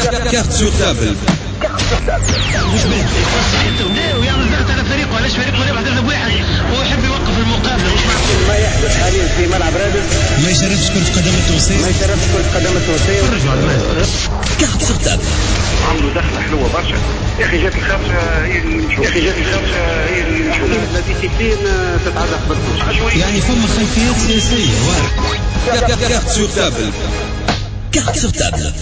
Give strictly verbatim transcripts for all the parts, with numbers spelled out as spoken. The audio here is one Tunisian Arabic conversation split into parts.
Carte sur table. ويعمل ضغط على فريقه، علاش فريقه ربح ثلاثة بواحد ويحب يوقف المقابلة. مش معقول ما يحدث حاليا في ملعب رادس. ما يشرفش كرة قدم التونسية، ما يشرفش كرة قدم التونسية. Carte sur table. عملوا دخلة حلوة برشا يا أخي، جات الخامسة هي اللي مشوا، يا أخي جات الخامسة هي اللي مشوا. la discipline تتعلق بالكل، يعني فما خلفيات سياسية. Carte sur table. Carte sur table.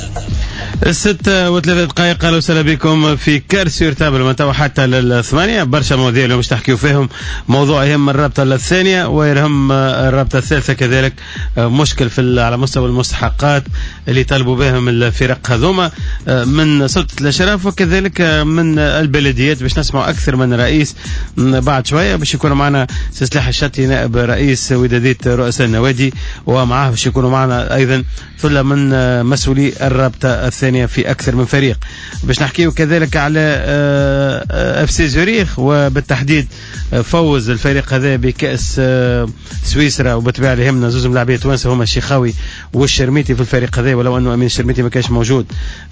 الستة وثلاثة دقائق، اهلا وسهلا بكم في Carte sur table من توا حتى للثمانية. برشا مواضيع اللي باش تحكيو فيهم، موضوع يهم الرابطة الثانية ويهم الرابطة الثالثة كذلك، مشكل في على مستوى المستحقات اللي طالبوا بهم الفرق هذوما من سلطة الأشراف وكذلك من البلديات. باش نسمعوا أكثر من رئيس بعد شوية، باش يكون معنا سي سلاح الشطي نائب رئيس ودادية رؤساء النوادي، ومعاه باش يكونوا معنا أيضا ثلة من مسؤولي الرابطة الثانية في أكثر من فريق. باش نحكيو كذلك على اف سي زوريخ، وبالتحديد فوز الفريق هذا بكأس سويسرا، وبالطبيعة اللي يهمنا زوز ملاعبية توانسة هما الشيخاوي والشرميتي في الفريق هذا، ولو أنه أمين الشرميتي ما كانش موجود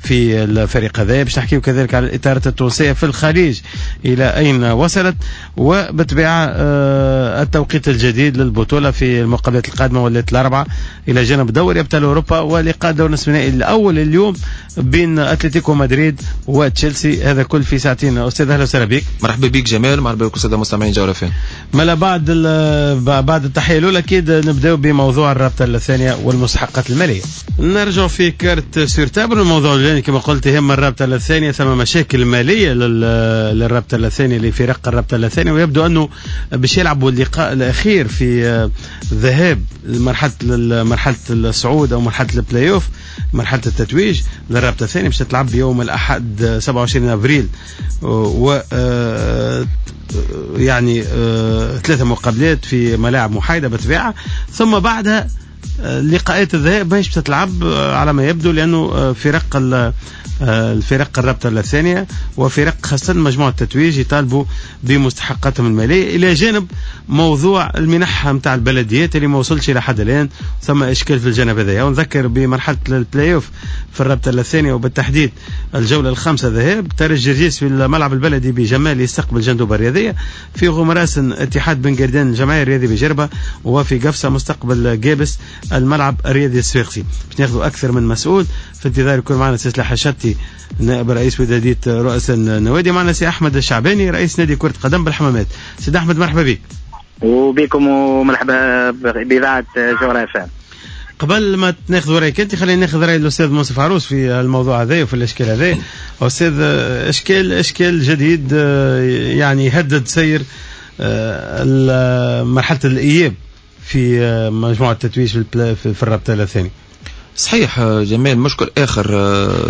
في الفريق هذا. باش نحكيو كذلك على الإطارات التونسية في الخليج إلى أين وصلت، وبالطبيعة التوقيت الجديد للبطولة في المقابلات القادمة والليلة الأربعة، إلى جانب دوري أبطال أوروبا ولقاء دور نصف النهائي الأول اليوم بين اتلتيكو مدريد وتشيلسي. هذا كل في ساعتين. استاذ اهلا وسهلا بك. مرحبا بك جمال، مرحبا بكم السادة المستمعين جوهرة اف ام. مالا بعد بعد التحية الاولى اكيد نبداو بموضوع الرابطة الثانية والمستحقات المالية. نرجع في Carte sur table. الموضوع الاولاني كما قلت يهم الرابطة الثانية، ثم مشاكل ماليه للرابطة الثانية لفرق الرابطة الثانية، ويبدو انه باش يلعبوا اللقاء الاخير في ذهاب مرحلة مرحلة الصعود او مرحلة البلاي اوف، مرحلة التتويج للرابطة الثانية، باش تلعب يوم الاحد سبعة وعشرين افريل، و يعني ثلاثة مقابلات في ملاعب محايدة بالطبيعة، ثم بعدها لقاءات الذهاب ماهيش تتلعب على ما يبدو، لانه فرق الفرق الرابطة الثانية وفرق خاصة مجموعة التتويج يطالبوا بمستحقاتهم المالية، الى جانب موضوع المنحة نتاع البلديات اللي ما وصلش الى حد الان، ثم اشكال في الجانب هذايا. ونذكر بمرحلة البلاي اوف في الرابطة الثانية وبالتحديد الجولة الخامسة ذهاب، ترجي جرجيس في الملعب البلدي بجمال يستقبل جندوبه الرياضية، في غمراسن اتحاد بن قردان الجمعية الرياضي بجربه، وفي قفصه مستقبل جابس الملعب الرياضي الصفاقسي. باش ناخذوا اكثر من مسؤول، في انتظار يكون معنا سي سلاح الشطي نائب رئيس ودادية رؤساء النوادي، معنا سي احمد الشعباني رئيس نادي كرة قدم بالحمامات. سيد احمد مرحبا بك. وبكم ومرحبا باذاعة جوهرة اف ام. قبل ما ناخذ رايك انت، خلينا ناخذ راي الاستاذ منصف عروس في الموضوع هذا وفي الاشكال هذا. استاذ، اشكال اشكال جديد يعني يهدد سير مرحلة الاياب في مجموعة التتويج في الرابطة الثانية. صحيح جمال، مشكل اخر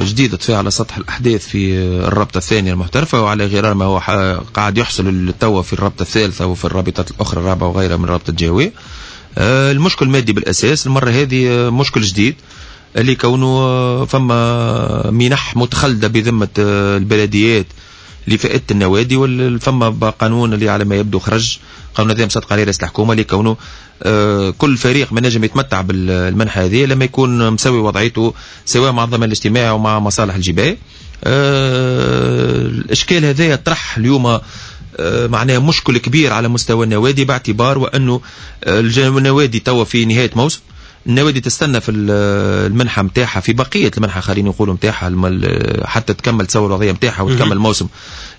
جديد طفى على سطح الاحداث في الرابطة الثانية المحترفه، وعلى غرار ما هو قاعد يحصل توا في الرابطة الثالثة وفي الرابطات الاخرى الرابعة وغيرها من الرابطة الجهوية. المشكل المادي بالاساس المرة هذه مشكل جديد اللي كونه فما منح متخلده بذمه البلديات لفائدة النوادي، وفما قانون اللي على ما يبدو خرج قانون هذا مصدق عليه رئيس الحكومة، اللي كونه كل فريق ما نجم يتمتع بالمنحه هذه لما يكون مسوي وضعيته سواء مع الضمان الاجتماعي ومع مصالح الجبايه. الاشكال هذا طرح اليوم معناه مشكل كبير على مستوى النوادي، باعتبار وانه النوادي توا في نهاية موسم، النوادي تستنى في المنحة نتاعها، في بقية المنحة خلينا نقولوا نتاعها، حتى تكمل تسوي الوضعية نتاعها وتكمل الموسم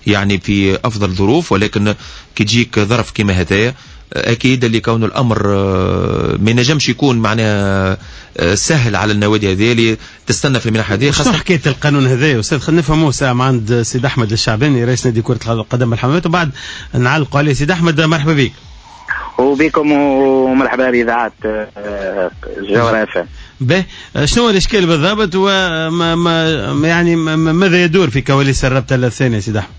يعني في افضل ظروف. ولكن كي تجيك ظرف كيما هذايا اكيد اللي كون الامر ما ينجمش يكون معناها سهل على النوادي هذه اللي تستنى في المنحة هذه. خاصة حكاية القانون هذا استاذ، خلينا نفهموه ساعة مع عند سيد احمد الشعباني رئيس نادي كره القدم بالحمامات، وبعد نعلقوا عليه. سيد احمد مرحبا بك. وبكم ومرحبا باذاعة جوهرة اف ام. به، شنو الاشكال بالضبط، وما ما يعني ماذا يدور في كواليس الرابطة الثانية سيد احمد؟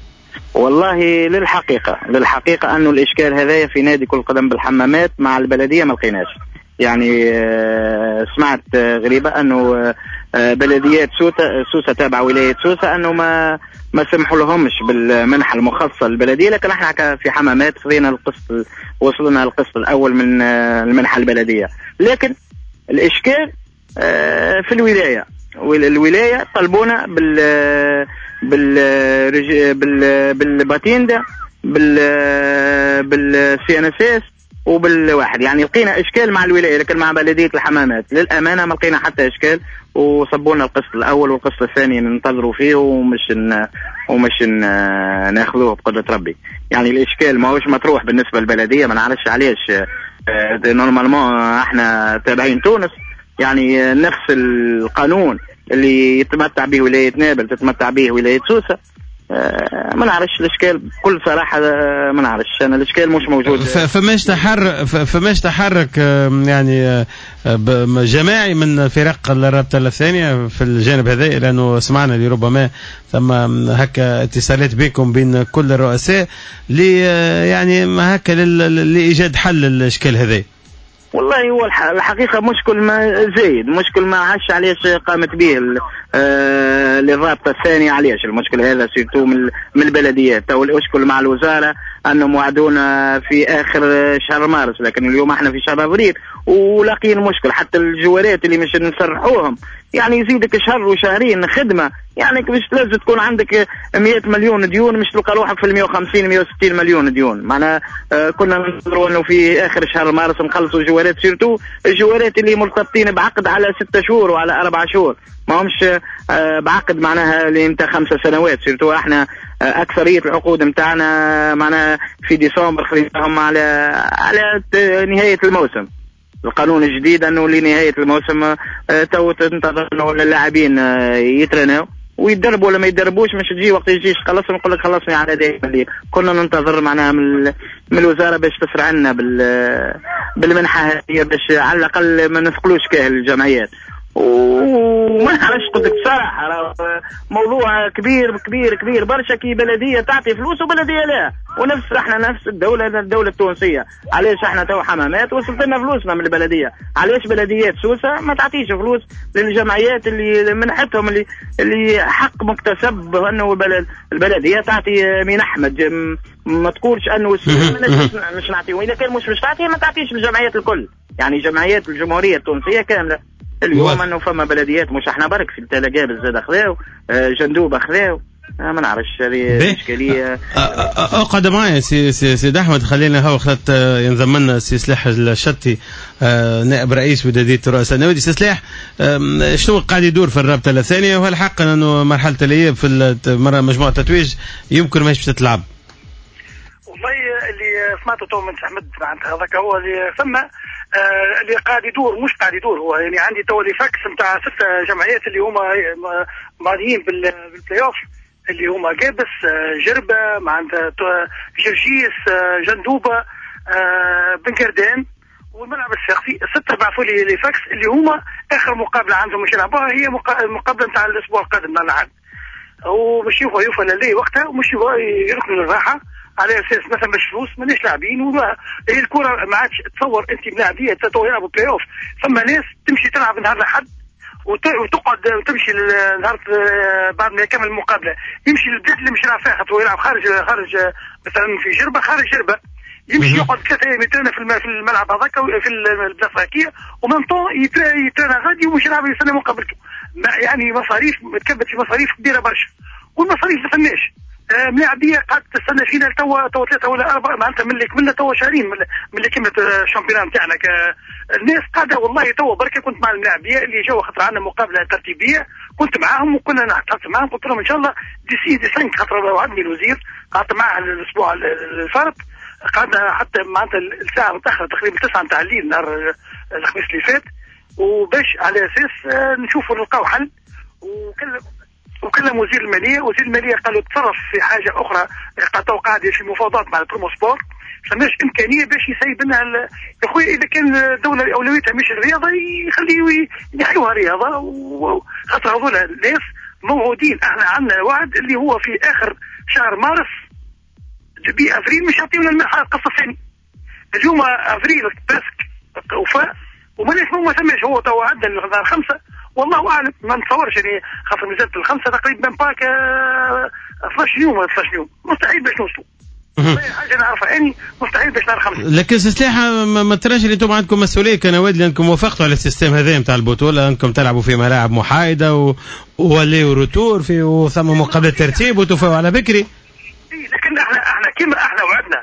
والله للحقيقة للحقيقة انه الاشكال هذايا في نادي كرة القدم بالحمامات مع البلدية ما لقيناش. يعني سمعت غريبة انه بلديات سوسة تابعه ولاية سوسة انه ما ما سمحوا لهمش بالمنحه المخصصة للبلديه، لكن احنا في حمامات خذينا القسط، وصلنا القسط الاول من المنحة البلدية. لكن الاشكال في الولاية، الولاية طلبونا بال بال بال بال patente بال بال CNSS وبالواحد. يعني لقينا اشكال مع الولاية، لكن مع بلديه الحمامات للامانة ما لقينا حتى اشكال، وصبونا القسط الاول والقسط الثاني ننتظروا فيه ومش ن... ومش ن... ناخذوه بقدره ربي. يعني الاشكال ماهوش مطروح بالنسبة للبلديه، ما نعرفش علاش. normalement احنا تابعين تونس، يعني نفس القانون اللي يتمتع به ولاية نابل تتمتع به ولاية سوسة. ما نعرفش الاشكال بكل صراحة، ما نعرفش انا الاشكال مش موجود. فماش تحرك فماش تحرك يعني جماعي من فرق الرابطة الثانية في الجانب هذا، لانه سمعنا اللي ربما ثم هكا اتصالات بكم بين كل الرؤساء ل يعني هكا لايجاد حل للاشكال هذا. والله هو الحقيقة مشكل ما زايد، مشكل ما عادش علاش قامت به آه للرابطة الثانية. علاش المشكل هذا surtout من من البلديات. تو المشكل مع الوزارة انهم وعدونا في اخر شهر مارس، لكن اليوم احنا في شهر ابريل ولاقيين مشكل. حتى الجوارات اللي مش نسرحوهم يعني يزيدك شهر وشهرين خدمة، يعني مش لازم تكون عندك مئة مليون ديون مش تلقى روحك في مئة وخمسين مئة وستين مليون ديون. معناها آه كنا ننتظروا انه في اخر شهر مارس نخلصوا جوارات، surtout الجوارات اللي مرتبطين بعقد على ستة شهور وعلى أربعة شهور، ما همش آه بعقد معناها اللي انت خمسة سنوات. surtout احنا آه اكثرية العقود نتاعنا معناها في ديسمبر خليناهم على على نهاية الموسم. القانون الجديد انه لنهاية الموسم تو تنتظر انه اللاعبين يترناو ويدربوا ولا ما يدربوش، مش تجي وقت يجيش خلص نقول لك خلصني على دايما. اللي كنا ننتظر معناها من من الوزارة باش تسرع لنا بال بالمنحه هذه باش على الاقل ما نثقلوش كاهل الجمعيات. وما نعرفش قلت لك بصراحة موضوع كبير كبير كبير برشا، كي بلديه تعطي فلوس وبلديه لا، ونفس احنا نفس الدولة الدولة التونسية. علاش احنا تو حمامات وصلت لنا فلوسنا من البلدية؟ علاش بلديات سوسة ما تعطيش فلوس للجمعيات اللي منحتهم اللي اللي حق مكتسب انه البلدية تعطي منح، ما تقولش انه مش نعطي، واذا كان مش مش تعطي ما تعطيش للجمعيات الكل، يعني جمعيات الجمهورية التونسية كاملة. اليوم انه فما بلديات مش احنا برك في التلاقاب زاد خذاو، جندوبه خذاو، ما نعرفش هذه اشكالية. اقعد معايا سي سي سيد احمد، خلينا هو خلت ينضم لنا سي سلاح الشطي نائب رئيس وداديه رؤساء النوادي. سي سلاح، شنو قاعد يدور في الرابطة الثانية، وهل حقا انه مرحلة الاياب في مجموعة التتويج يمكن ماهيش باش تتلعب؟ والله اللي سمعته تو من احمد معناتها هذاك هو اللي ثم آه اللي قاعد يدور، مش قاعد يدور هو، يعني عندي تو les fax نتاع ست جمعيات اللي هما معنيين بالبلاي اوف، اللي هما قابس، جربه، معناتها جرجيس، جندوبه، آه بن قردان، والملعب الشخصي. ستة بعثوا لي les fax اللي هما اخر مقابله عندهم مش يلعبوها هي المقابلة نتاع الاسبوع القادم نهار الأحد، ومش يوفى يوفى للي وقتها ومش يركنوا للراحة على اساس مثلا مش فلوس ماناش لاعبين. وما هي الكره ما عادش تصور انت ملاعبيه تو يلعبوا بلاي اوف، ثم ناس تمشي تلعب نهار الاحد وتقعد وتمشي نهار بعد ما يكمل المقابلة يمشي للبلاد اللي مش يلعب فيها، خاطر يلعب خارج خارج مثلا في جربه خارج جربه، يمشي يقعد ثلاثة ايام يترنى في الملعب هذاك في البلاصة هكية، ومن طون يترنى غادي ومش يلعب يستنى مقابلته. يعني مصاريف تكبت في مصاريف كبيرة برشا، والمصاريف ما فماش. ملاعبيه قعدت تستنى فينا توا توا ثلاثة ولا اربعة معناتها من اللي كملنا توا شهرين من اللي كملت ال championnat نتاعنا. الناس قاعدة والله توا بركة كنت مع الملاعبيه اللي جاوا خاطر عندنا مقابله ترتيبيه، كنت معاهم وكنا نحكي معاهم، قلت لهم ان شاء الله d'ici dix cinq خاطر وعدني الوزير، قعدت معاه الاسبوع الفارط، قعدنا حتى معناتها الساعة متاخرة تقريبا تسعة نتاع الليل نهار الخميس اللي فات، وباش على اساس نشوفوا نلقاو حل. وكلم وكلم وزير المالية، وزير المالية قالوا تصرف في حاجة اخرى، قالوا قاعد في مفاوضات مع البروموسبور، فماش امكانية باش يسيب لنا ال... يا خويا اذا كان الدولة اولويتها مش الرياضة يخليوا ينحيوها رياضة، وخاطر هذول الناس موعودين، احنا عندنا وعد اللي هو في اخر شهر مارس début افريل مش يعطيونا المنحة القصة الثانية. اليوم افريل presque وفاء وماناش ما ثماش، هو تو عندنا نهار خمسة والله اعلم، ما نتصورش يعني خاطر مازالت الخمسة تقريبا باك اثناش يوم ولا اثناش يوم، مستحيل باش نوصلوا. حاجة نعرفها اني مستحيل باش نهار خمسة. لكن سلاح ما تراش اللي انتم عندكم مسؤولية كنوادي لانكم وافقتوا على ال système هذا نتاع البطولة، انكم تلعبوا في ملاعب محايدة و... و aller retour في وثم مقابله ترتيب وتوفوا على بكري. لكن احنا احنا كيما احنا وعدنا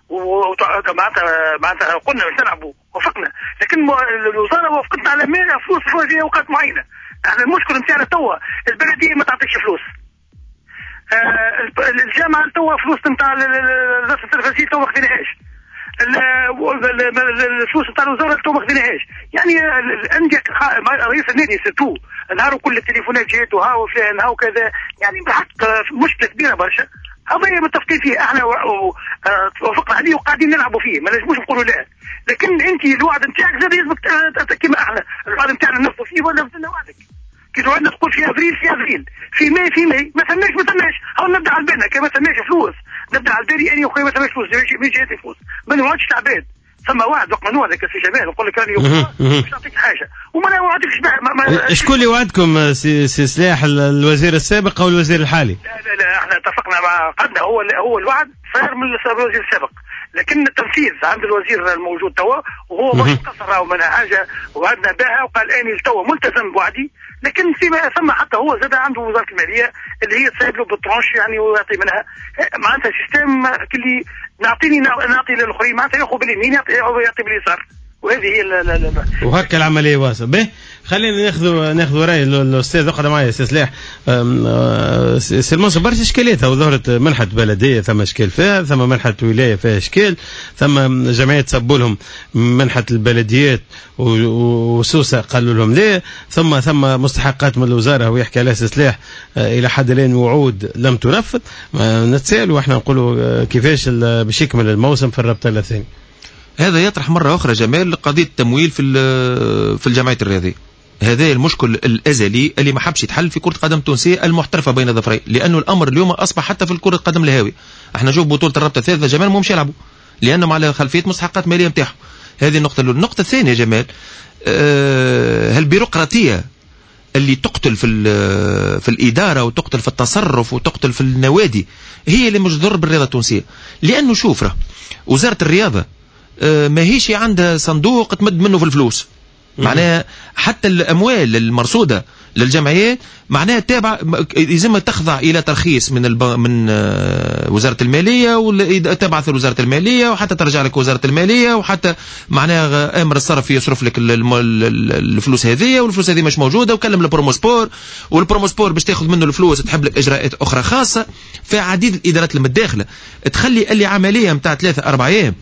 ومعناتها معناتها قلنا باش نلعبوا وافقنا، لكن الوزارة وافقتنا على فلوس في اوقات معينة. احنا المشكل نتاعنا توا البلدية ما تعطيش فلوس. آه الجامعة توا فلوس نتاع الرسم التلفزيوني توا ما خذيناهاش. الفلوس نتاع الوزارة توا ما خذيناهاش. يعني الاندية رئيس النادي surtout نهار كل التليفونات جات وها وفلان ها وكذا، يعني بالحق مشكلة كبيرة برشا. هذا متفقين فيه احنا وافقنا عليه وقاعدين نلعبوا فيه، ما نجموش نقولوا لا. لكن انت الوعد نتاعك زاد يلزمك كيما احنا الوعد نتاعنا ننفذوا فيه ولا نزلنا وعدك. كي توعدنا تقول في افريل في افريل، في ماي في ماي، ما ثماش ما ثماش، هاو نبدا على بالنا كي ما ثماش فلوس، نبدا على بالي اني وخويا ما ثماش فلوس، مين جاتني فلوس، ما نوعدش العباد. ثم وعد وقت ما نوعدك سي جمال نقول لك راني باش نعطيك حاجة وما نوعدكش. شكون اللي وعدكم سي, سي سلاح، الوزير السابق او الوزير الحالي؟ لا لا لا احنا اتفقنا مع قدنا، هو هو الوعد صار من الوزير السابق، لكن التنفيذ عند الوزير الموجود توا، وهو مش قصر من حاجة وعدنا بها وقال اني توا ملتزم بوعدي. لكن فيما ثم حتى هو زاد عنده وزارة المالية اللي هي تساعد له بال tranche يعني ويعطي منها، معناتها système كلي نعطيني نعطي للاخرين، معناتها ياخذ باليمين يعطي يعطي باليسار، وهذه هي وهكا العملية واصله. به خلينا ناخذ ناخذ راي الاستاذ اقعد معايا سي سلاح. سي المنصف، برشا اشكاليات ظهرت، منحه بلديه ثم اشكال فيها، ثم منحه ولاية فيها اشكال، ثم جمعيات سبوا لهم منحه البلديات وسوسه قالوا لهم لا، ثم ثم مستحقات من الوزارة ويحكي عليها سي سلاح الى حد الان وعود لم تنفذ. نتسائل واحنا نقولوا كيفاش باش يكمل الموسم في الرابطة الثانية. هذا يطرح مرة أخرى جمال قضية التمويل في في الجمعيات الرياضية. هذا المشكل الأزلي اللي ما حبش يتحل في كرة قدم تونسية المحترفة بين ظفرين، لأنه الأمر اليوم أصبح حتى في الكرة القدم الهاوية. احنا نشوف بطولة الرابطة الثالثة جمال مش يلعبوا لأنهم على خلفية مستحقات مالية نتاعهم. هذه النقطة الأولى. النقطة الثانية جمال، أه البيروقراطية اللي تقتل في في الإدارة وتقتل في التصرف وتقتل في النوادي هي اللي مش تضر بالرياضة التونسية. لأنه شوف راه وزارة الرياضة ماهيش عندها صندوق تمد منه في الفلوس، معناها حتى الأموال المرصودة للجمعيات معناها تابعة، يلزم تخضع إلى ترخيص من الب... من وزارة المالية، وتبعث لوزارة المالية وحتى ترجع لك وزارة المالية، وحتى معناها أمر الصرف يصرف لك الفلوس هذه، والفلوس هذه مش موجودة، وكلم البروموسبور، والبروموسبور باش تاخذ منه الفلوس تحب لك إجراءات أخرى خاصة. في عديد الإدارات المتداخلة تخلي اللي عملية متاع ثلاثة أربعة أيام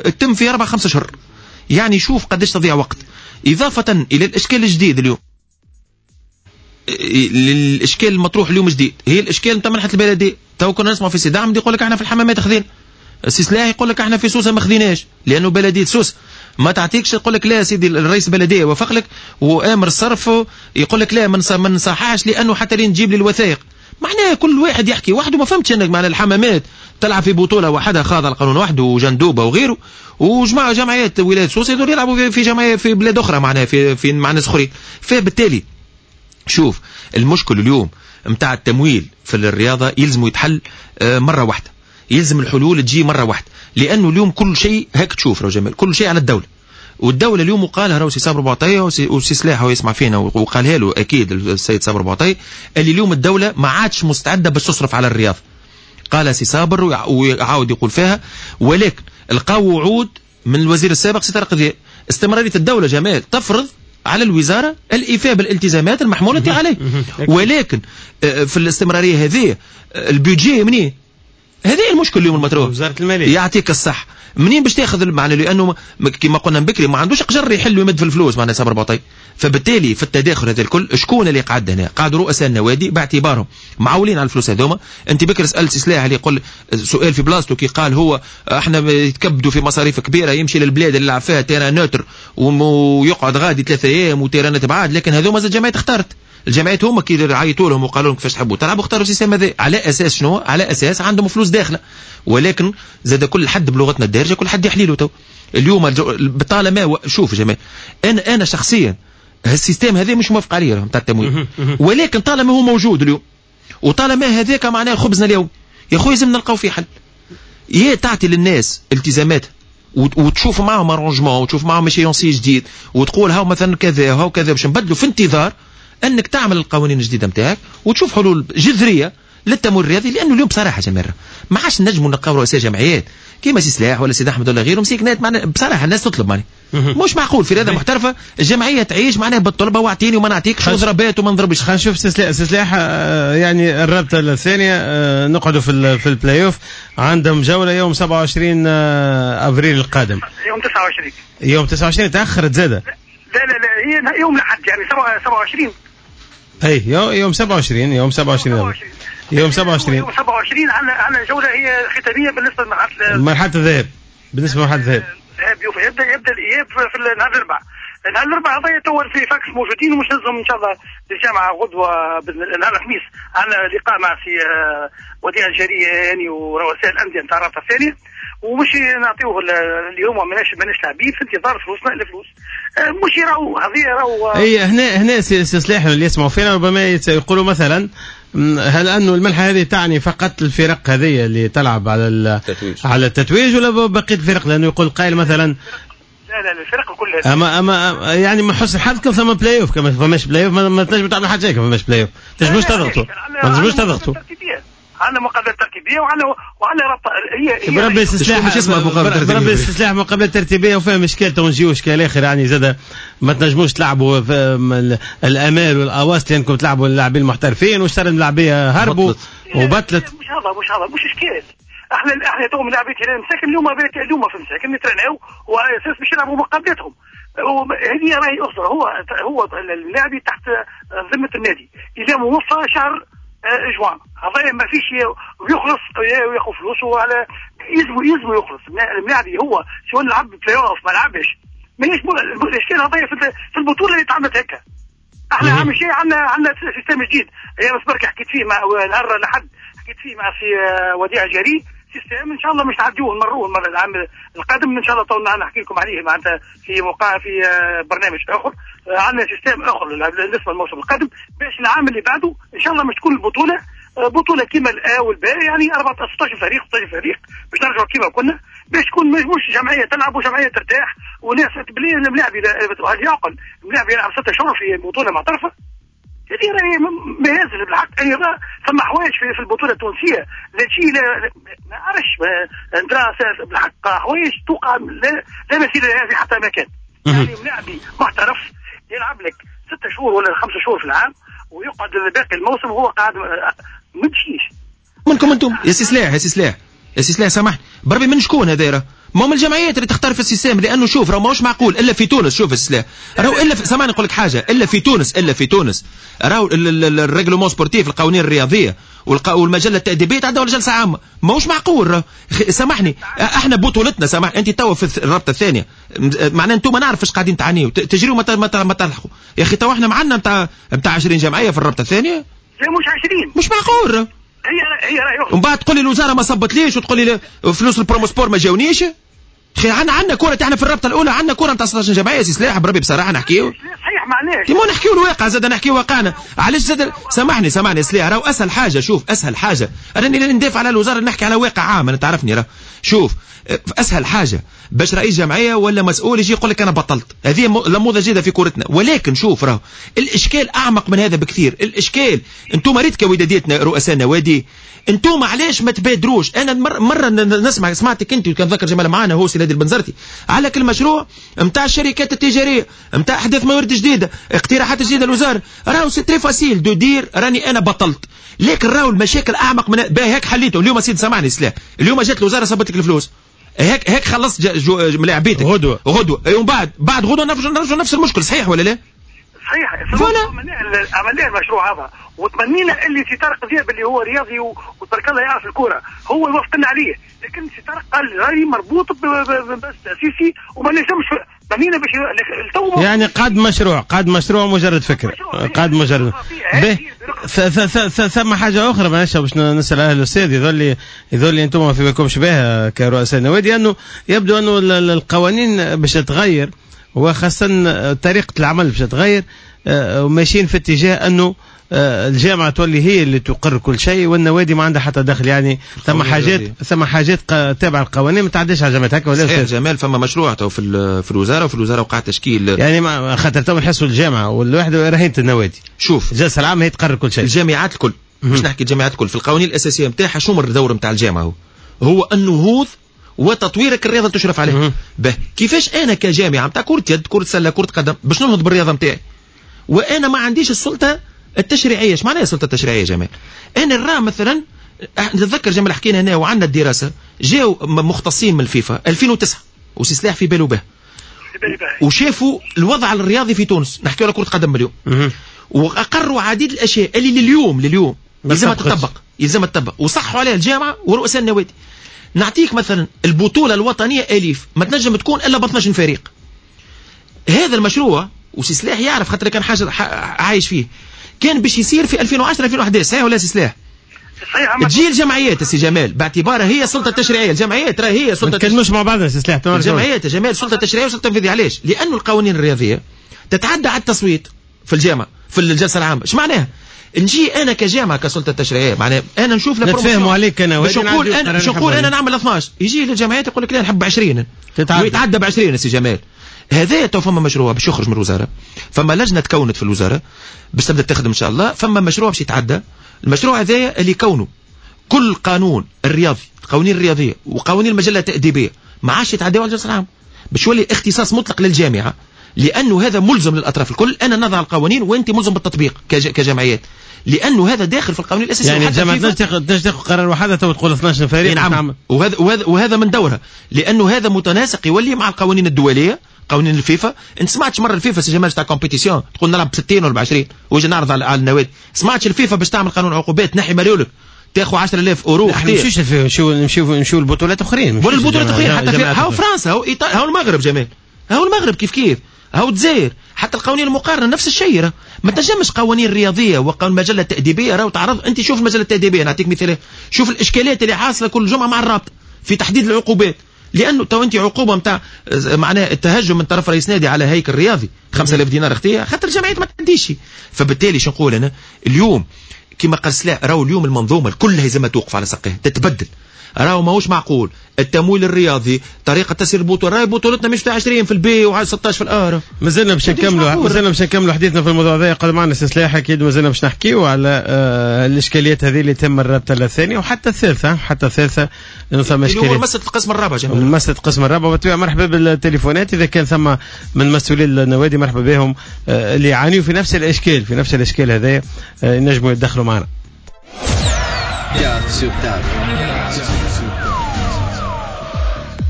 تتم في أربع خمسة شهور. يعني شوف قداش تضيع وقت. إضافة إلى الإشكال الجديد اليوم، الإشكال المطروح اليوم جديد هي الإشكال نتاع منحة البلدية. تو كنا نسمع في سي دعم يقول لك احنا في الحمامات خذين، سي سلاح يقول لك احنا في سوسة ما خذيناش، لأنه بلدية سوسة ما تعطيكش، يقول لك لا سيدي الرئيس البلدية وافق لك وآمر الصرف، يقول لك لا ما نصححش لأنه حتى لين تجيب لي الوثائق. معناها كل واحد يحكي وحده. ما فهمتش انك معناها الحمامات تلعب في بطوله وحدها خاضع القانون وحده وجندوبه وغيره، وجماعه جمعيات ولاية سوسة يدور يلعبوا في جمعية في بلاد اخرى، معناها في في مع ناس اخرين. فبالتالي شوف المشكل اليوم نتاع التمويل في الرياضة يلزم يتحل مرة واحدة، يلزم الحلول تجي مرة واحدة، لانه اليوم كل شيء هاك تشوف راه جمال كل شيء على الدولة. والدولة اليوم وقالها راهو سي صابر بوعطيه وسي سلاح هو يسمع فينا وقالها له اكيد السيد صابر بوعطيه، اللي اليوم الدولة ما عادش مستعدة باش تصرف على الرياضة. قال سي صابر وعاود يقول فيها، ولكن لقاو وعود من الوزير السابق سي طارق ذياب. استمرارية الدولة جمال تفرض على الوزارة الايفاء بالالتزامات المحمولة عليه، ولكن في الاستمرارية هذه ال budget منين؟ هذا المشكل اليوم المطروح. وزارة المالية يعطيك الصح منين باش تاخذ معنى، لانه كما قلنا من بكري ما عندوش قجر يحل ويمد في الفلوس معناها صابر بوعطيه. فبالتالي في التداخل هذا الكل شكون اللي قعد هنا؟ قعدوا رؤساء النوادي باعتبارهم معولين على الفلوس هذوما. انت بكر سالت سلاح اللي يقول سؤال في بلاصته كي قال هو احنا يتكبدوا في مصاريف كبيرة، يمشي للبلاد اللي يلعب فيها terrain neutre ويقعد غادي ثلاثة ايام وتيرانات بعاد، لكن هذوما زاد جمعيات اختارت. الجمعيات هما كي عيطوا لهم وقالوا لهم كيفاش تحبوا تلعبوا اختاروا ال système هذا على اساس شنو؟ على اساس عندهم فلوس داخله. ولكن زاد كل حد بلغتنا الدارجة كل حد يحليله. تو اليوم طالما شوف يا جماعة، انا انا شخصيا هال système هذا مش موافق عليه نتاع التمويل، ولكن طالما هو موجود اليوم وطالما هذاك معناه خبزنا اليوم يا خويا لازم نلقاو فيه حل. يا تعطي للناس التزامات وتشوف معاهم arrangement وتشوف معاهم échéancier جديد وتقول هاو مثلا كذا هاو كذا باش نبدلوا، في انتظار انك تعمل القوانين الجديدة نتاعك وتشوف حلول جذرية للتمويل الرياضي. لانه اليوم بصراحة جمال ما عادش نجموا نلقاو رؤساء جمعيات كيما سي سلاح ولا سيد احمد ولا غيره مسيكنات، معنا بصراحة الناس تطلب معني مش معقول في رياضة محترفه الجمعية تعيش معناها بالطلبه واعطيني وما نعطيكش وضربات وما نضربش. خلينا نشوف سي سلاح، سي سلاح يعني الرابطة الثانية نقعدوا في في البلاي اوف، عندهم جولة يوم سبعة وعشرين افريل القادم. يوم تسعة وعشرين. يوم تسعة وعشرين تاخرت زاده. لا لا لا هي يوم الاحد يعني سبعة وعشرين. اي يوم سبعة وعشرين، يوم سبعة وعشرين يوم سبعة وعشرين يوم سبعة وعشرين عندنا عندنا جولة هي ختامية بالنسبة لمرحلة مرحلة الذهاب. بالنسبة لمرحلة الذهاب الذهاب يبدا يبدا الاياب في النهار الاربعاء. النهار الاربعاء هذايا تو في فاكس موجودين ومش نهزهم ان شاء الله للجامعة غدوه نهار الخميس. عندنا لقاء مع سي وديع الجري يعني ورؤساء الاندية نتاع الرابطة الثانية، ومش نعطيوه اليوم ماناش ماناش لاعبين في انتظار فلوسنا الفلوس مش راهو هذه راهو. اي هنا هنا سي سلاح اللي يسمعوا فينا ربما يقولوا مثلا هل انه المنحة هذه تعني فقط الفرق هذه اللي تلعب على التتويج على التتويج ولا بقية الفرق؟ لانه يقول قائل مثلا لا لا الفرق كلها. اما اما يعني من حسن الحظ كان ثم بلاي اوف، كما فماش بلاي اوف ما تنجم تعمل حاجة، كما فماش بلاي اوف تنجموش تضغطوا، ما تنجموش تضغطوا. عندنا مقابلات ترتيبيه وعندنا وعندنا رابطه هي بربي استسلاح بربي استسلاح مقابلات ترتيبيه وفيها اشكال تو نجيو اشكال اخر يعني زاد ما تنجموش تلعبوا الامال والاواس لانكم تلعبوا اللاعبين المحترفين واشترى اللاعبيه هربوا وبطلت. مش هذا مش هذا مش اشكال. احنا احنا تو لاعبين هلال مساكن اليوم اليوم في مساكن نترناو وعلى اساس باش يلعبوا مقابلاتهم. هذه راهي اخرى، هو هو اللاعب تحت ذمه النادي اذا موفى شهر جوان هذا ما فيش ويخلص وياخذ فلوسه على يلزم يلزم يخلص اللاعب هو سواء لعب بلاي اوف ما لعبش ماهيش الاشكال هذايا في البطولة اللي تعملت هكا. احنا عام شيء عندنا عندنا système جديد هي بس برك حكيت فيه مع نهار الاحد حكيت فيه مع سي وديع جري système ان شاء الله مش نعديوه نمروه المرة العام القادم ان شاء الله تو نحكي لكم عليه معناتها في موقع في برنامج اخر. عندنا système اخر بالنسبة للموسم القادم باش العام اللي بعده ان شاء الله مش تكون البطولة بطوله كيما الأ والباء يعني أربعة ستة عشر فريق ستة عشر فريق باش نرجعوا كيما كنا باش تكون مش جمعية تلعب وجمعية ترتاح وناس تبلي الملاعب. هل يعقل الملاعب يلعب ستة شهور في بطوله معترفة؟ هذه راهي مهازل بالحق. اي ثم حوايج في, في البطولة التونسية لا شيء لا ما عرفش ندرا بالحق حوايج توقع لا, لا مثيل لها في حتى مكان. يعني ملاعبي محترف يلعب لك ستة شهور ولا خمسة شهور في العام ويقعد باقي الموسم وهو قاعد ما تمشيش. منكم انتم يا سي سلاح يا سي سلاح يا سي سلاح سامحني بربي من شكون هذا؟ ما هم الجمعيات اللي تختار في ال système، لانه شوف راه ماهوش معقول الا في تونس. شوف السلاح راهو الا في... سامحني نقول لك حاجة، الا في تونس الا في تونس راهو ال règlement sportif القوانين الرياضية والمجله التاديبيه تعدوا على جلسه عامة، ماهوش معقول راه. سامحني احنا بطولتنا سامح انت توا في الرابطة الثانية معناها انتم ما نعرف اش قاعدين تعانيوا تجريوا ما ما تلحقوا يا اخي. توا احنا معنا نتاع نتاع عشرين جمعية في الرابطة الثانية، لا مش عشرين، مش معقول. هي هي راهي ومن بعد تقول لي الوزارة ما صبتليش وتقول لي فلوس البروموسبور ما جاونيش. خي عندنا عندنا كورة تاعنا في الرابطة الاولى عندنا كورة نتاع ستة عشر جمعية يا سي سلاح بربي بصراحة نحكيو صحيح معناش كيما نحكيو الواقع زاد نحكيو واقعنا. علاش زاد سامحني سامحني سلاح راهو اسهل حاجة. شوف اسهل حاجة راني ندافع على الوزارة نحكي على واقع عام انا تعرفني راه. شوف اسهل حاجة باش رئيس جمعية ولا مسؤول يجي يقول لك انا بطلت، هذه نموذج جديدة في كورتنا. ولكن شوف راهو الاشكال اعمق من هذا بكثير. الاشكال انتم ريت كوداديتنا رؤساء نوادي انتم علاش ما تبادروش؟ انا مرة نسمع سمعتك انت وكان ذكر جمال معانا هو سي البنزرتي على كل مشروع نتاع الشركات التجارية نتاع احداث موارد جديدة اقتراحات جديدة للوزارة. راهو c'est très facile de dire راني انا بطلت، لكن راهو المشاكل اعمق من باهي. هيك حليته اليوم سيد سامحني سلاح اليوم جات الوزارة صبت لك الفلوس هيك هيك خلصت ملاعبيتك غدوه غدوه ومن بعد بعد غدوه نرجع نفس المشكل. صحيح ولا لا؟ صحيح. عملنا المشروع هذا وتمنينا اللي سي طارق ذياب اللي هو رياضي وتبارك الله يعرف الكورة هو يوافقنا عليه، لكن سي طارق قال راهي مربوط بس تاسيسي وما نجمش تمنينا باش يعني قاد مشروع قاد مشروع مجرد فكرة قاد مجرد به. ثم حاجة اخرى معلش باش نسال اهل الاستاذ يظل يظل انتم ما في بالكمش بها كرؤساء النوادي، انه يبدو انه القوانين باش تتغير وخاصة طريقه العمل باش تتغير وماشيين في اتجاه انه الجامعة تولي هي اللي تقر كل شيء والنوادي ما عندها حتى دخل. يعني ثم حاجات ثم حاجات تابعه القوانين ما تعديش على الجامعات هكا ولا؟ صحيح جمال، فما مشروع تو في في الوزارة، وفي الوزارة وقع تشكيل يعني ما خاطر تو نحسوا الجامعة والواحد رهينة النوادي. شوف الجلسة العامة هي تقرر كل شيء. الجامعات الكل مش نحكي الجامعات الكل في القوانين الاساسية نتاعها شو الدور نتاع الجامعة؟ هو هو النهوض وتطويرك الرياضة اللي تشرف عليها. به كيفاش انا كجامعه نتاع كره يد، كره سله، كره قدم باش ننهض بالرياضة نتاعي وانا ما عنديش السلطة التشريعية؟ ايش معناها السلطة التشريعية يا جماعة؟ انا نرى مثلا نتذكر جمال حكينا هنا وعندنا الدراسة، جاو مختصين من الفيفا ألفين وتسعة وسي سلاح في باله به وشافوا الوضع الرياضي في تونس، نحكيو على كره قدم اليوم، واقروا عديد الاشياء اللي لليوم لليوم يلزمها تطبق، يلزمها تطبق وصحوا عليها الجامعة ورؤساء النوادي. نعطيك مثلا البطولة الوطنية اليف ما تنجم تكون الا ب اثناش فريق. هذا المشروع وسي سلاح يعرف خاطر كان حاجة عايش فيه، كان باش يصير في ألفين وعشرة ألفين وأحد عشر، صحيح ولا سي سلاح؟ صحيح. تجي الجمعيات سي جمال باعتبارها هي السلطة التشريعية، الجمعيات راهي هي السلطة. ما نتكلموش مع بعضنا سي سلاح. الجمعيات يا جمال سلطة تشريعية وسلطة تنفيذية. علاش؟ لانه القوانين الرياضية تتعدى على التصويت في الجامعة في الجلسة العامة. اش معناها؟ نجي انا كجامعه كسلطه تشريعية، معناها انا نشوف نتفاهموا عليك انا باش نقول انا باش نقول انا نعمل اثناش، يجي للجمعيات يقول لك لا نحب عشرين ويتعدى ب عشرين. سي جمال هذا تو فما مشروع باش يخرج من الوزارة، فما لجنة تكونت في الوزارة باش تبدا تخدم ان شاء الله، فما مشروع باش يتعدى. المشروع هذا اللي كونه كل قانون الرياضي، القوانين الرياضية وقوانين المجلة التاديبيه ما عادش يتعداو على الجلسة العامة، باش يولي اختصاص مطلق للجامعة، لانه هذا ملزم للاطراف الكل. انا نضع القوانين وانت ملزم بالتطبيق كجمعيات، لانه هذا داخل في القوانين الاساسية. يعني الجامعة تنجم تاخذ قرار وحدها تو تقول اثناش فريق. نعم، وهذا وهذا وهذا من دورها، لانه هذا متناسق يولي مع القوانين الدولية، قوانين الفيفا. انت سمعتش مرة الفيفا سي جمال تاع compétition تقول نلعب ب ستين ولا ب عشرين ويجي نعرض على, على النوادي؟ سمعتش الفيفا باش تعمل قانون عقوبات نحي مريولك تاخذ عشرة آلاف اورو؟ ما نمشيوش الفيفا، نمشيو نمشيو نمشيو البطولات اخرين، ولا البطولات اخرين حتى في هاو فرنسا، هاو ايطاليا، هاو المغرب جمال، هاو المغرب كيف كيف، هاو الجزائر، حتى القوانين المقارنة نفس الشيء. ما تنجمش قوانين رياضية وقانون المجلة التاديبيه راهو تعرض. انت شوف المجلة التاديبيه، نعطيك مثال، شوف الاشكاليات اللي حاصله كل جمعه مع الرابطة في تحديد العقوبات، لانه تو انت عقوبه نتاع معناها التهجم من طرف رئيس نادي على هيكل رياضي خمسة آلاف دينار اختيه، خاطر الجمعيات ما تعديش. فبالتالي شو نقول انا اليوم كما قال سلاح، راهو اليوم المنظومة كلها لازم توقف على ساقيها تتبدل. راهو ماهوش معقول التمويل الرياضي، طريقه تسيير البطولة، راهي بطولتنا مش تاع عشرين في ال B و ستاش في ال A. مازلنا باش نكملوا مازلنا باش نكملوا حديثنا في الموضوع هذا. قد معنا سي سلاح، اكيد مازلنا باش نحكيوا على آه الاشكاليات هذه اللي تم الرابطة الثانية وحتى الثالثة، حتى الثالثة لانه ثم اشكاليات. هو مسالة القسم الرابع جماعة، مسالة القسم الرابع. وبالطبيعه مرحبا بالتليفونات اذا كان ثم من مسؤولي النوادي، مرحبا بهم آه اللي يعانيوا في نفس الاشكال، في نفس الاشكال هذا، آه ينجموا يتدخلوا معنا.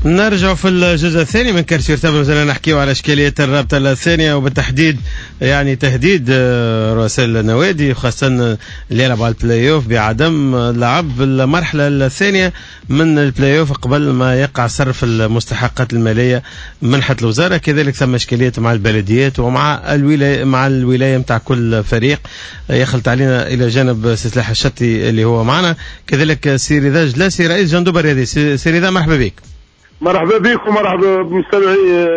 نرجع في الجزء الثاني من Quart sur Table، مازلنا نحكيو على اشكالية الرابطة الثانية وبالتحديد يعني تهديد رؤساء النوادي خاصة اللي يلعبوا على البلاي اوف بعدم لعب المرحلة الثانية من البلاي اوف قبل ما يقع صرف المستحقات المالية منحه الوزارة. كذلك ثم اشكاليات مع البلديات ومع الولاية، مع الولاية نتاع كل فريق. يخلط علينا الى جانب سي سلاح الشطي اللي هو معنا، كذلك سي رضا جلاسي رئيس جندوبه الرياضي. سي رضا مرحبا بك. مرحبا بكم ومرحبا بمستمعي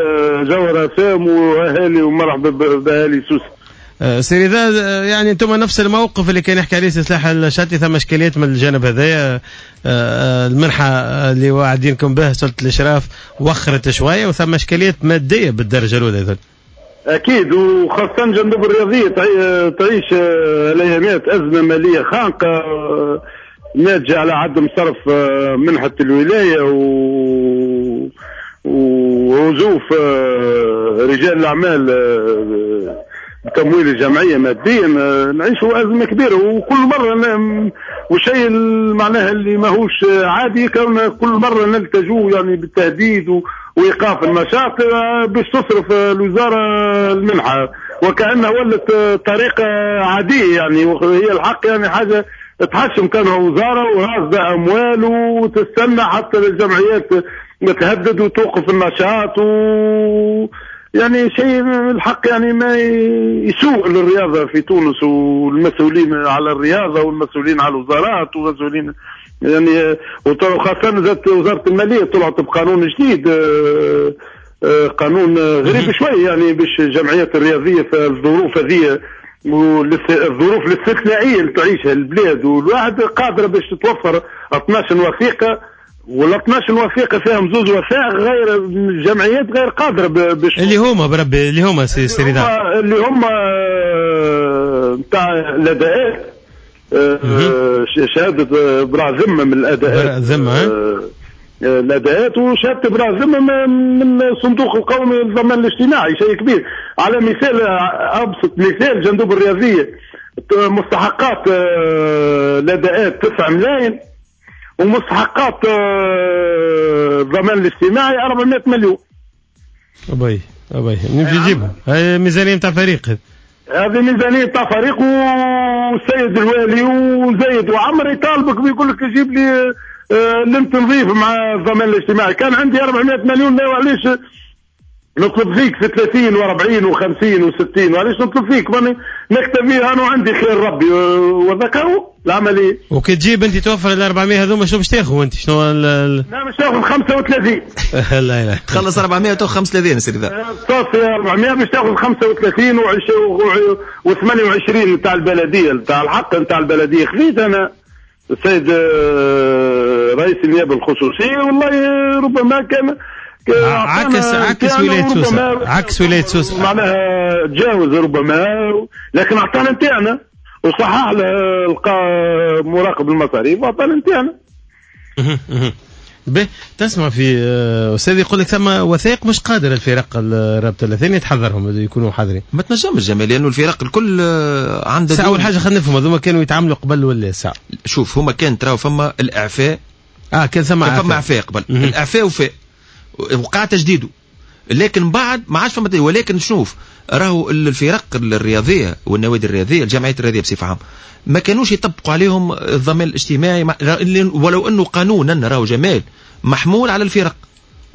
جوهرة سام واهالي، ومرحبا باهالي سوسة. سي رضا، يعني انتم نفس الموقف اللي كان يحكي عليه سي سلاح الشاطي، ثم اشكاليات من الجانب هذايا، المنحة اللي واعدينكم به سلطة الاشراف وخرت شوية، وثم اشكاليات مادية بالدرجة الاولى اذا. اكيد، وخاصة جندوب الرياضية تعيش الايامات ازمة ماليه خانقه ناتجة على عدم صرف منحه الولاية و وعزوف رجال الاعمال بتمويل الجمعية ماديا. نعيشوا ازمة كبيرة، وكل مرة وشيء معناها اللي ماهوش عادي كون كل مرة نلتجوا يعني بالتهديد وايقاف النشاط باش تصرف الوزارة المنحة، وكانها ولت طريقه عادية يعني، وهي الحق يعني حاجة تحشم كانها وزارة وراصده اموال وتستنى حتى الجمعيات تهدد وتوقف النشاط، و يعني شيء الحق يعني ما يسوء للرياضة في تونس والمسؤولين على الرياضة والمسؤولين على الوزارات والمسؤولين يعني، وخاصة زادت وزارة المالية طلعت بقانون جديد، قانون غريب شوي يعني باش الجمعيات الرياضية في الظروف هذه والظروف الاستثنائية اللي تعيشها البلاد، والواحد قادرة باش تتوفر اثناش وثيقة، ولا اثناش وثيقة فيهم زوز وثائق غير الجمعيات غير قادرة باش اللي هما بربي اللي هما سي رضا اللي هما نتاع الاداءات، شهادة براء ذمه من الاداءات، براء ذمه الاداءات، وشهادة براء ذمه من الصندوق القومي للضمان الاجتماعي، شيء كبير. على مثال ابسط مثال، جندوب الرياضية مستحقات الاداءات تسعة ملايين، ومستحقات الضمان الاجتماعي أربعمائة مليون. ابي ابي نمشي نجيبها، هاي ميزانية نتاع فريق، هذه ميزانية نتاع فريق، والسيد الوالي وزيد وعمر يطالبك ويقول لك جيب لي لم تنظيف مع الضمان الاجتماعي. كان عندي أربعمائة مليون، لا علاش نطلب فيك في ثلاثين وأربعين وخمسين وستين، وعلاش نطلب فيك؟ ماني نكتفي انا وعندي خير ربي وذكروا العملية. وكي تجيب انت توفر ال أربعمائة هذوما شنو باش تاخذ انت؟ شنو ال لا باش تاخذ خمسة وثلاثين. لا لا تخلص أربعمائة وتاخذ خمسة وثلاثين سيدي ذا. تصفي أربعمائة باش تاخذ خمسة وثلاثين وثمانية وعشرين نتاع البلدية، نتاع الحق نتاع البلدية خذيت انا السيد رئيس النيابة الخصوصية، والله ربما كان عكس عكس ولاية سوسة، عكس ولاية سوسة معناها تجاوز ربما، لكن اعطانا نتاعنا وصحح له مراقب المصاريف واعطانا نتاعنا. به تسمع في استاذ يقول لك ثم وثائق مش قادر الفرق الرابطة الثانية تحضرهم، يكونوا حاضرين. ما تنجمش جمال، لانه الفرق الكل عندها. اول حاجة خلينا نفهم هذوما كانوا يتعاملوا قبل ولا ساعة؟ شوف هما كان تراو فما الاعفاء، اه كان ثم اعفاء، فما اعفاء قبل، الاعفاء وفاء وقع تجديده، لكن بعد ما عادش فما. ولكن شوف راهو الفرق الرياضية والنوادي الرياضية الجمعيات الرياضية بصفة عامة ما كانوش يطبقوا عليهم الضمان الاجتماعي، ولو انه قانونا راهو جمال محمول على الفرق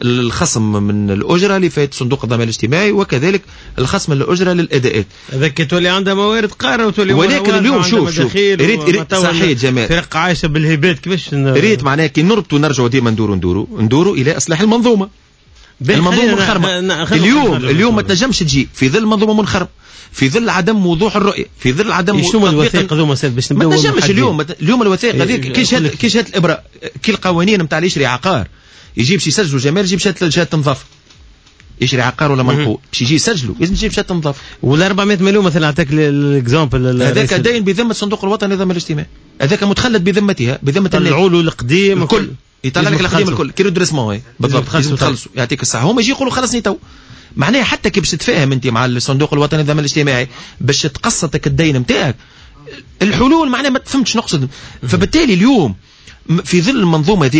الخصم من الاجرة اللي فات صندوق الضمان الاجتماعي، وكذلك الخصم من الاجرة للاداءات. هذاك تولي عندها موارد قارة وتولي، ولكن اليوم شوف شوف ريت ريت صحيح جمال، فرق عايشه بالهبات كيفاش ريت معناها كي نربطوا نرجعوا ديما ندوروا ندوروا ندوروا الى اصلاح المنظومة. المنظومة منخرمه اليوم، اليوم ما تنجمش تجي في ظل منظومة منخرمه، في ظل عدم وضوح الرؤية، في ظل عدم شنو الوثائق هذوما باش نبداو. ما تنجمش اليوم، اليوم الوثائق هذيك كي شهادة كي شهادة الابراء، كي القوانين نتاع اللي يشري عقار يجيب باش يسجلوا جمال، يجيب شهادة شهادة نظافة، يشري عقار ولا منقول باش يجي يسجلوا لازم يجيب شهادة نظافة. ولا أربعمائة مليون مثلا اعطاك l'exemple، هذاك داين بذمه الصندوق الوطني للضمان الاجتماعي، هذاك متخلد بذمتها بذمه النادي، طلعوا له القديم الكل، يطلع لك القديم الكل كي redressement بالضبط، لازم تخلصوا يعطيك الصحة. هما يجي يقولوا خلصني تو، معناها حتى كي باش تتفاهم انت مع الصندوق الوطني للضمان الاجتماعي باش تقسطك الدين نتاعك، الحلول معناها ما تفهمتش نقصد. فبالتالي اليوم في ظل المنظومة هذه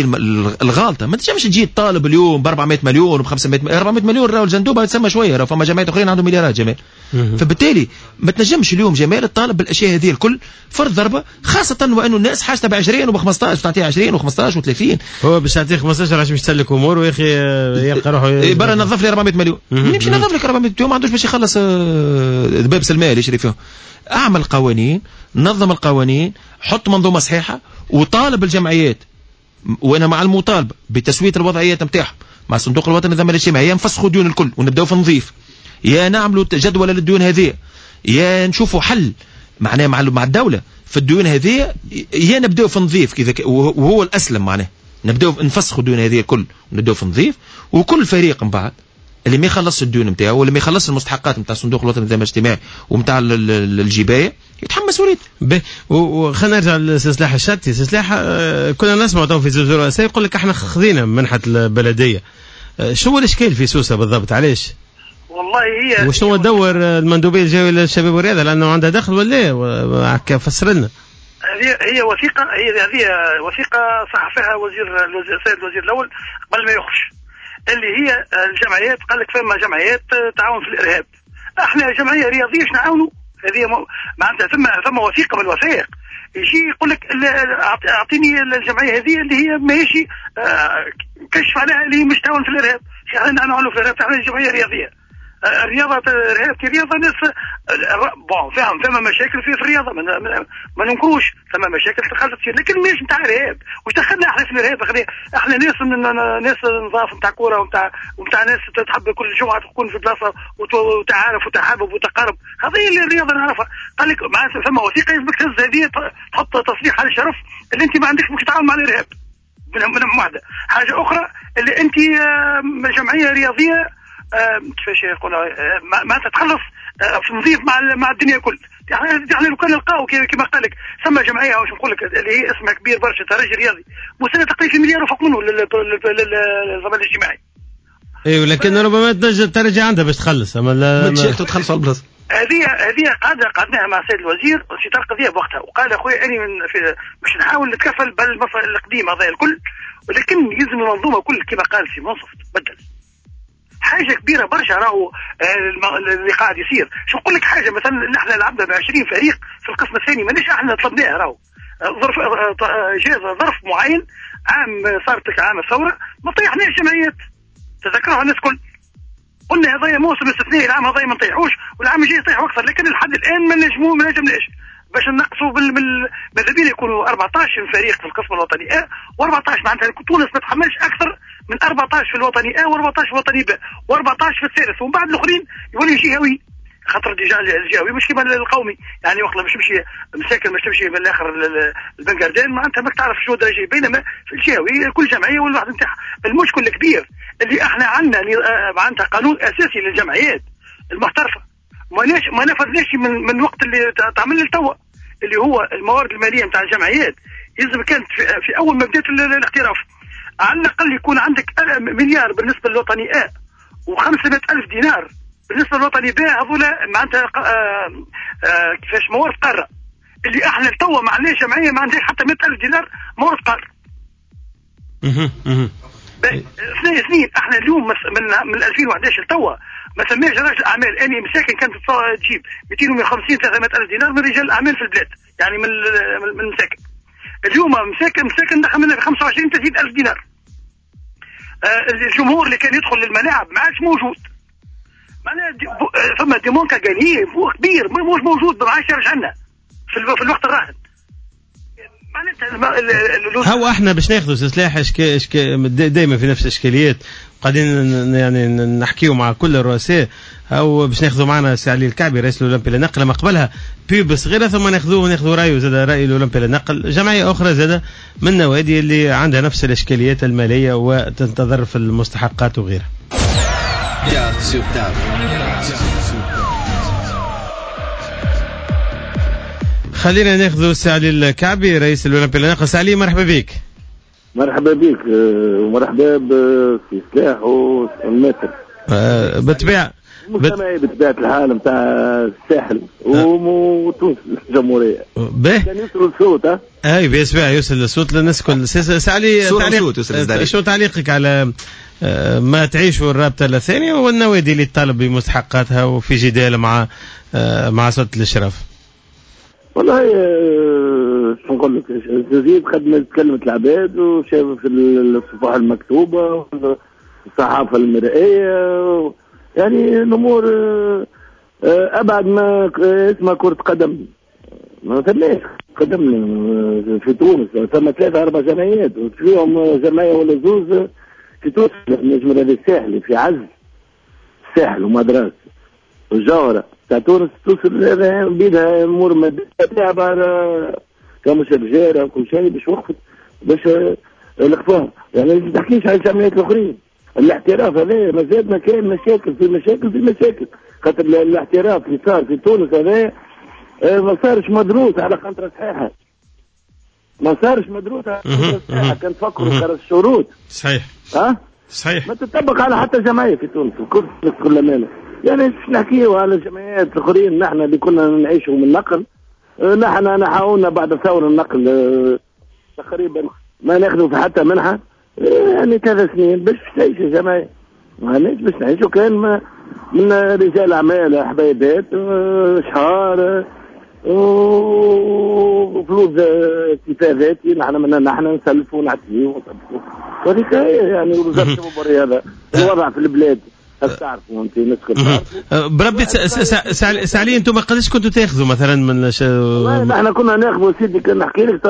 الغالطه ما تنجمش تجي تطالب اليوم ب أربعمائة مليون وب خمسمائة مليون. أربعمائة مليون راهو الجندوبه تسمى شوية، راهو فما جمعيات اخرين عندهم مليارات جمال. فبالتالي ما تنجمش اليوم جمال تطالب بالاشياء هذه الكل فرض ضربه، خاصة وانه الناس حاجتها ب عشرين وب خمسطاش، تعطيها عشرين وخمسطاش وثلاثين. هو باش يعطيه خمسطاش علاش باش يسلك اموره يا اخي، يلقى روحه برا نظف لي أربعمائة مليون، نمشي نظف لك أربعمائة مليون، ما عندوش باش يخلص ذباب سلمى اللي يشري فيهم. اعمل قوانين، نظم القوانين، حط منظومة صحيحه، وطالب الجمعيات، وانا مع المطالبة بتسويه الوضعيات نتاعهم مع الصندوق الوطني للضمان الاجتماعي، يا نفسخوا ديون الكل ونبداو في نظيف، يا نعملوا جدول للديون هذه، يا نشوفوا حل معناه مع مع الدولة في الديون هذه، يا نبداو في نظيف كذا وهو الاسلم، معناه نبداو نفسخوا الديون هذه الكل ونبداو في نظيف، وكل فريق من بعد اللي ما يخلصش الديون نتاعو واللي ما يخلصش المستحقات نتاع الصندوق الوطني للضمان الاجتماعي ونتاع الجبايه يتحمل مسؤوليته. باهي، وخلينا نرجع لسلاح الشتي. سلاح كنا نسمع تو في زوز رؤساء يقول لك احنا خذينا منحه البلدية، شو هو الاشكال في سوسة بالضبط؟ علاش؟ والله هي وشنو دور المندوبيه الجوية للشباب والرياضة لانه عندها دخل ولا لا؟ فسر لنا. هذه هي وثيقة، هي هذه وثيقة صح فيها وزير السيد الوزير الاول قبل ما يخرج، اللي هي الجمعيات. قال لك فما جمعيات تعاون في الارهاب، احنا جمعية رياضية باش نعاونوا هذه معناتها. ثم ثم وثيقة من الوثائق يجي يقول لك اعطيني الجمعية هذه اللي هي ماهيش كشف عليها اللي مش تعاون في الارهاب، احنا نعاونوا في الارهاب، احنا جمعية رياضية. الرياضة الرياضة ناس bon فاهم ثم مشاكل في الرياضة ما, ما ننكروش ثم مشاكل تخلت تصير، لكن ماهيش نتاع ارهاب. واش دخلنا احنا في الارهاب؟ احنا ناس ناس نظاف نتاع كورة ونتاع ونتاع ناس تحب كل جمعه تكون في بلاصة وتعارف وتحابب وتقارب، هذه الرياضة نعرفها. قال لك ثم وثيقة يلزمك تهز هذه تحط تصريح على الشرف اللي انت ما عندكش مش تتعامل مع الارهاب من من واحدة. حاجة اخرى اللي انت جمعية رياضية كيفاش يقولوا ما تتخلص في نظيف مع مع الدنيا الكل. يعني لو كان نلقاو كما قال لك ثم جمعية واش نقول لك اللي هي اسمها كبير برشا ترجي رياضي مسنة تقريبا في مليار وفوق منه للضمان الاجتماعي. ايوه لكن ربما تنجم الترجي عندها باش تخلص، اما لا ما تخلص على البلاصة. هذه هذه قعدنا قعدناها مع السيد الوزير في طرق قضية بوقتها، وقال اخويا اني من في باش نحاول نتكفل بالمصر القديم هذا الكل، ولكن يلزم المنظومة كل كما قال سي منصف تبدل. حاجة كبيرة برشا راهو اللي قاعد يصير. شو نقول لك حاجة مثلا نحن لعبنا ب عشرين فريق في القسم الثاني، مانيش احنا طلبناه راهو ظرف جاز ظرف معين عام صارت عام الثورة ما طيحناش جمعيات تذكروها الناس الكل، قلنا هذايا موسم استثنائي العام هذايا ما نطيحوش والعام الجاي يطيحوا اكثر، لكن لحد الان ما نجمو ما نجمناش باش نقصوا بال ماذا بينا يكونوا أربعطاش فريق في القسم الوطني أ وأربعطاش، معناتها تونس ما تحملش اكثر من أربعطاش في الوطني أ وأربعطاش في الوطني ب وأربعطاش في الثالث، ومن بعد الاخرين يولي جهوي، خاطر déjà الجهوي مش كيما القومي، يعني وقت باش تمشي مساكن باش تمشي من الاخر البنكاردين معناتها ماك تعرف شنو درجه، بينما في الجهوي كل جمعية والواحد نتاعها. المشكل الكبير اللي احنا عندنا معناتها قانون اساسي للجمعيات المحترفه ما ما نفذناش من من وقت اللي تعمل لتوا، اللي هو الموارد المالية نتاع الجمعيات يلزم كانت في, في اول ما بدات الاحتراف على الاقل يكون عندك مليار بالنسبة للوطني أ وخمسمائة ألف دينار بالنسبة للوطني ب، هذولا معناتها كيفاش موارد قارة اللي احنا توا ما عندناش جمعية ما عندهاش حتى مئة ألف دينار موارد قارة. اثنين اثنين احنا اليوم من من ألفين وأحد عشر لتوا ما سماش رجل اعمال، اني مساكن كانت تجيب مئتين وخمسين ثلاثمائة ألف دينار من رجال الاعمال في البلاد، يعني من من المساكن. اليوم مساكن مساكن دخل منها خمسة وعشرين ثلاثين ألف دينار. آه الجمهور اللي كان يدخل للملاعب ما عادش موجود، معناها دي ثم des manques à gagner كبير مش موجود، ما عادش يرجع لنا في, في الوقت الراهن. معناتها هو احنا باش ناخذوا سلاح اشكال اشكال دائما في نفس الاشكاليات قاعدين يعني نحكيو مع كل الرؤساء، او باش ناخذوا معنا سي علي الكعبي رئيس الاولمبي للنقل ما قبلها pub صغيرة ثم ناخذوه وناخذوا رايه زاد راي الاولمبي للنقل، جمعية اخرى زاد من النوادي اللي عندها نفس الاشكاليات المالية وتنتظر في المستحقات وغيرها. خلينا ناخذ سي علي الكعبي رئيس الاولمبي للنقل. سي علي مرحبا بك. مرحبا بك ومرحبا بسي سلاح والمتر. أه بالطبيعة مجتمعي بطبيعة الحال نتاع الساحل وتونس الجمهورية. باهي كان يوصل الصوت. اي بيسمع يوصل الصوت للناس الكل. سي علي تعليق، شو تعليقك على ما تعيشه الرابطة الثانية والنوادي اللي تطالب بمستحقاتها وفي جدال مع مع سلطة الاشراف؟ والله شو نقول لك، زيد خدمة تكلمت العباد وشاف في الصفحة المكتوبة والصحافة المرئية، يعني الأمور أبعد ما اسمها كرة قدم. ما ثماش قدم في تونس، ثم ثلاثة أربع جمعيات فيهم جمعية ولا زوز في تونس، النجم الرياضي الساحلي في عز الساحل ومدرسة والجوهرة تاع تونس توصل بيدها امور مادية بعد كمش رجاله وكل شيء باش وقفت باش لقفوها. يعني ما تحكيش على الجمعيات الاخرين. الاحتراف هذا مازال ما كاين مشاكل في مشاكل في مشاكل، خاطر الاحتراف اللي صار في تونس هذا ما صارش مدروس على قنطرة صحيحه، ما صارش مدروس على قنطرة صحيحه. كان تفكروا كرس الشروط صحيح ها صحيح ما تطبق على حتى جمعية في تونس الكل كل امانه. يعني باش نحكيو على الجمعيات الاخرين نحن اللي كنا نعيشوا من النقل، نحن نحاولنا بعد ثورة النقل تقريبا ما ناخذوا في حتى منحه يعني ثلاث سنين باش تعيش الجمعية، ماناش باش نعيشوا كان ما من رجال اعمال حبايبات شهار وفلوس اكتفاء ذاتي، نحن من نحن نسلفوا ونعطيو ونطبقوا وهذيك يعني وزارة الشباب والرياضة. الوضع في البلاد تعرفوا انت الناس الكل. بربي سعلي انتم قداش كنتوا تاخذوا مثلا من ش... والله نحن كنا ناخذوا سيدي، كنا نحكي لك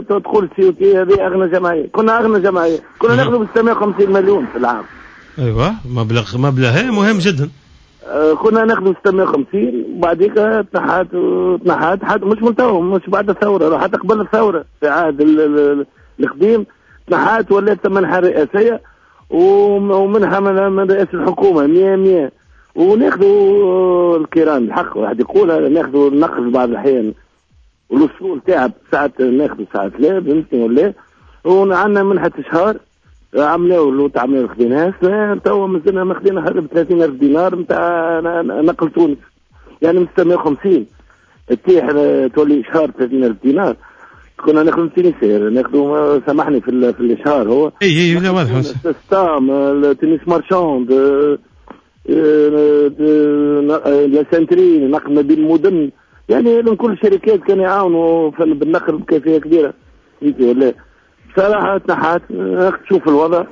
تدخل COT هذه اغنى جمعية، كنا اغنى جمعية، كنا ناخذوا ب ستمية وخمسين مليون في العام. ايوه مبلغ مبلغ مهم جدا. كنا ناخذوا ستمية وخمسين وبعديك تنحات تنحات حتى مش من تو، مش بعد الثورة، حتى قبل الثورة في عهد القديم تنحات ولات منحه رئاسيه ومنها من رئاسة الحكومة مية مية. وناخذوا الكيران الحق واحد يقولها، ناخذوا النقل بعض الاحيان والوصول تعب ساعات ناخذوا ساعات لا فهمتني ولا. وعندنا منحه اشهار عملوا لو تعملوا خذيناها توا مازلنا ما خذينا حاجة ب ثلاثين ألف دينار نتاع نقل تونس، يعني من ستمية وخمسين تطيح تولي اشهار ثلاثين ألف دينار. كنا ناخذ تونسير ناخذوا سامحني في في الاشهار هو اي اي لا واضح ستام تونس marchande la سنتري نقل ما بين المدن، يعني كل الشركات كانوا يعاونوا بالنقل بكيفية كبيرة فهمتي ولا. بصراحة تنحات، تشوف الوضع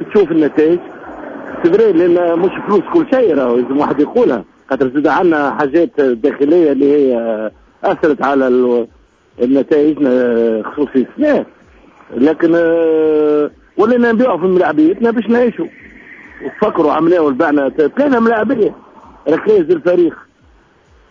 تشوف النتائج c'est vrai، لان مش فلوس كل شيء راهو لازم واحد يقولها، خاطر زاد عندنا حاجات داخلية اللي هي اثرت على النتائج خصوصي السنة، لكن ولينا نبيعوا في ملاعبيتنا باش نعيشوا. وفكروا عملناه بعنا ثلاثة ملاعبيه ركيز الفريق،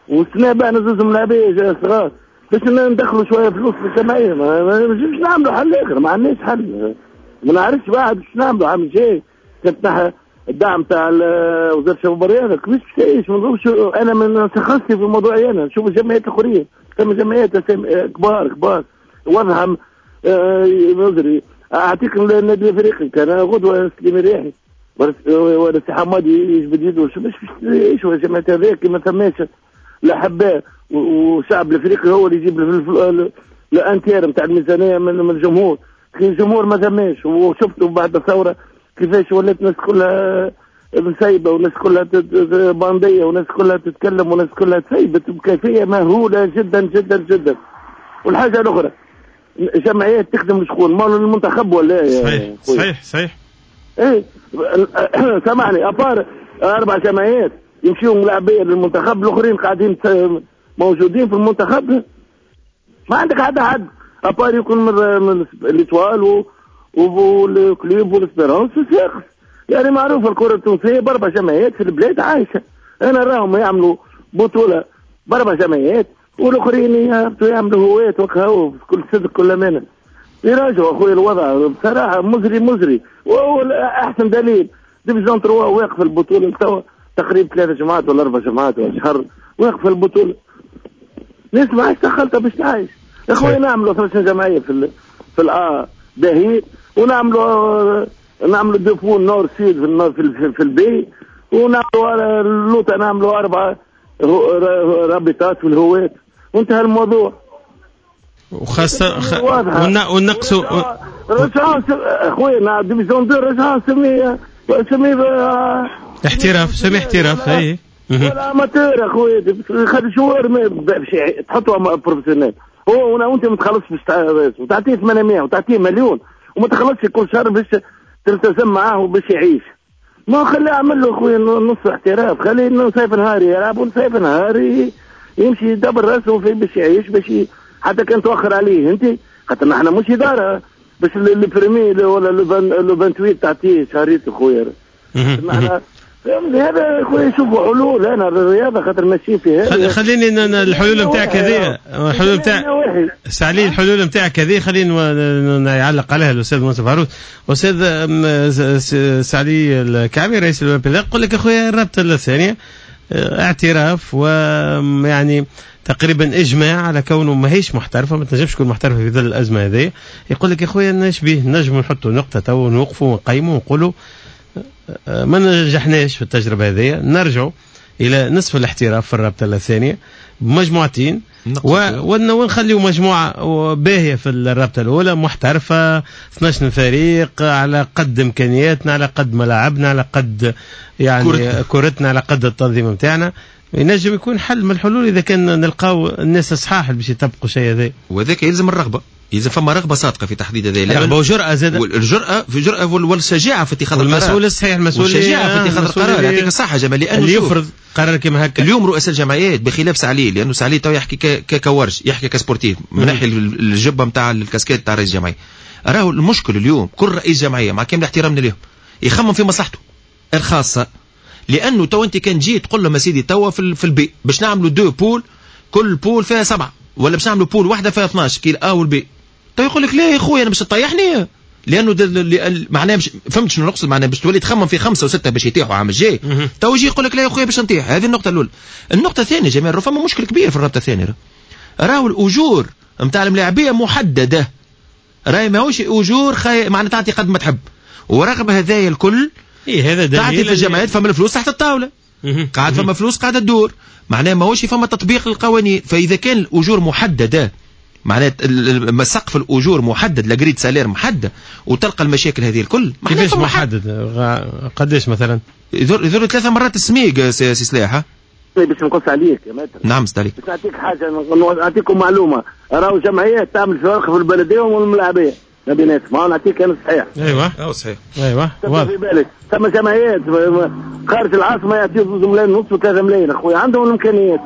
والسنة بعنا زوز ملاعبيه صغار باش ندخلوا شوية فلوس في الجمعية. ما نجمش نعملوا حل اخر، ما عندناش حل، ما نعرفش بعد باش نعملوا عام الجاي. كنت الدعم تاع وزارة الشباب والرياضة كيفاش باش تعيش؟ ما نظنش انا من تخصصي في موضوعي انا نشوف الجمعيات الاخرين، ثم جمعيات كبار كبار وضعهم مزري. اعطيك النادي الافريقي كان غدوه سليم الرياحي ولا سي حمادي يجبد يده باش باش يعيشوا الجمعيات هذيك ما ثماش الاحباء، والشعب الافريقي هو اللي يجيب ال un tiers نتاع الميزانية من الجمهور. كي الجمهور ما ثماش، وشفتوا بعد الثورة كيفاش ولات الناس كلها مسيبه والناس كلها بانديه والناس كلها تتكلم والناس كلها تسيبت بكيفية مهولة جدا جدا جدا. والحاجة الاخرى جمعيات تخدم شكون؟ مال المنتخب ولا؟ صحيح صحيح صحيح. ايه سامحني، à part اربع جمعيات يمشيوا ملاعبيه للمنتخب، الاخرين قاعدين موجودين في المنتخب، ما عندك حد حد à part يكون من l'Étoile وال Club وال Espérance والصفاقس. يعني معروفة الكره التونسية باربع جمعيات في البلاد عايشه. انا راهم يعملوا بطوله باربع جمعيات والاخرين يعملوا هواة وكهو بكل صدق كل امانه. يراجعوا اخويا الوضع بصراحة مزري مزري. وهو احسن دليل division trois واقف البطولة توا تقريبا ثلاث جمعات ولا اربع جمعات ولا شهر واقف البطولة. ناس ما عادش دخلتها باش تعيش يا خويا. نعملوا ثلاث جمعية في ال في ال A باهي، ونعملوا نعملوا deux poules nord sud في في, في ال B، ونعملوا اللوطه نعملوا اربعة رابطات في الهواة وانتهى الموضوع. وخاصة خ... ونقصوا رجعوا اخويا division deux رجعوا سمي سمي احتراف، سمي احتراف اي ولا amateur اخويا. خلي joueur باش تحطوا professionnel هو وانت ما تخلصش باش وتعطيه ثمانمية وتعطيه مليون وما تخلصش كل شهر باش تلتزم معاه وباش يعيش. ما خليه يعمل له اخويا نص احتراف، خليه نصيف نهاري يلعب ونصيف نهاري يمشي يدبر راسه في باش يعيش، باش ي... حتى كان توخر عليه انت، خاطر نحن مش ادارة باش le premier ولا le vingt-huit تعطيه شهريته خويا. نحن هذا خويا شوفوا حلول. انا الرياضة خاطر ماشي فيها. خليني الحلول نتاعك هذه، الحلول نتاع سعلي، الحلول نتاعك هذه خليني يعلق عليها الاستاذ منصف عروس. استاذ سعلي الكعبي رئيس الاولمبي يقول لك اخويا الرابطة الثانية اعتراف ويعني تقريبا اجماع على كونه ماهيش محترفه، ما تنجمش تكون محترفه في ظل الازمة هذه. يقول لك يا خويا ناش به نجموا نحطوا نقطة تو ونوقفوا ونقيموا ونقولوا ما نجحناش في التجربة هذه، نرجعوا الى نصف الاحتراف في الرابطة الثانية بمجموعتين ونخليوا مجموعة باهيه في الرابطة الاولى محترفه اثناش فريق على قد امكانياتنا، على قد ملاعبنا، على قد يعني كرتنا, كرتنا على قد التنظيم نتاعنا. ينجم يكون حل من الحلول اذا كان نلقاو الناس الصحاح اللي باش يطبقوا شيء هذا. وهذاك يلزم الرغبة. اذا فما رغبة صادقة في تحديد هذا، رغبة وجرأه زاد، والجرأه في جرأه والشجاعة في اتخاذ القرار. المسؤول الصحيح، المسؤول الشجاعة في اتخاذ القرار. يعطيك الصحة جمال، لانه اللي يفرض قرار كيما هكا. اليوم رؤساء الجمعيات بخلاف سعلي، لانه سعلي تو يحكي ككورج، يحكي ك sportif من ناحية الجبة نتاع الكاسكيت تاع رئيس الجمعية. راهو المشكل اليوم كل رئيس جمعية مع كامل احترامنا لهم يخمم في مصلحته الخاصة، لانه تو انت كان جيت تقول لهم سيدي توا في, في ال B باش نعملوا deux poules، كل poule فيها سبعة، ولا باش نعملوا poule واحدة فيها اثناش كي ال A وال B، تو يقول لك لا يا خويا انا باش تطيحني، لانه معناها مش فهمت شنو نقصد، معناها باش تولي تخمم في خمسة وستة باش يطيحوا عام الجاي، تو يجي يقول لك لا يا خويا باش نطيح. هذه النقطة الاولى. النقطة الثانية جمال، فما مشكل كبير في الرابطة الثانية، راهو الاجور نتاع الملاعبيه محددة، راهي ماهوش اجور خي... معناها تعطي قد ما تحب، ورغم هذايا الكل إيه هذا تعطي في الجمعيات فما الفلوس تحت الطاولة، قاعد فما فلوس قاعدة تدور، معناها ماهوش فما تطبيق للقوانين. فاذا كان الاجور محددة، معناها سقف الاجور محدد، la grille de salaire محددة، وتلقى المشاكل هذه الكل. كيفاش محدد؟ قداش مثلا؟ يذر ثلاثة مرات السميق سي سلاح. باش نقص عليك يا maître. نعم سي عليك. باش نعطيك حاجة، نعطيكم معلومة، راهو جمعيات تعمل فرق في البلدية والملاعبيه ما بيناتهم، ما نعطيك انا صحيح. ايوه اه صحيح. ايوه واضح. في بالك ثم جمعيات خارج العاصمة يعطيو زوج ملايين ونص وثلاثة ملايين اخويا، عندهم الامكانيات.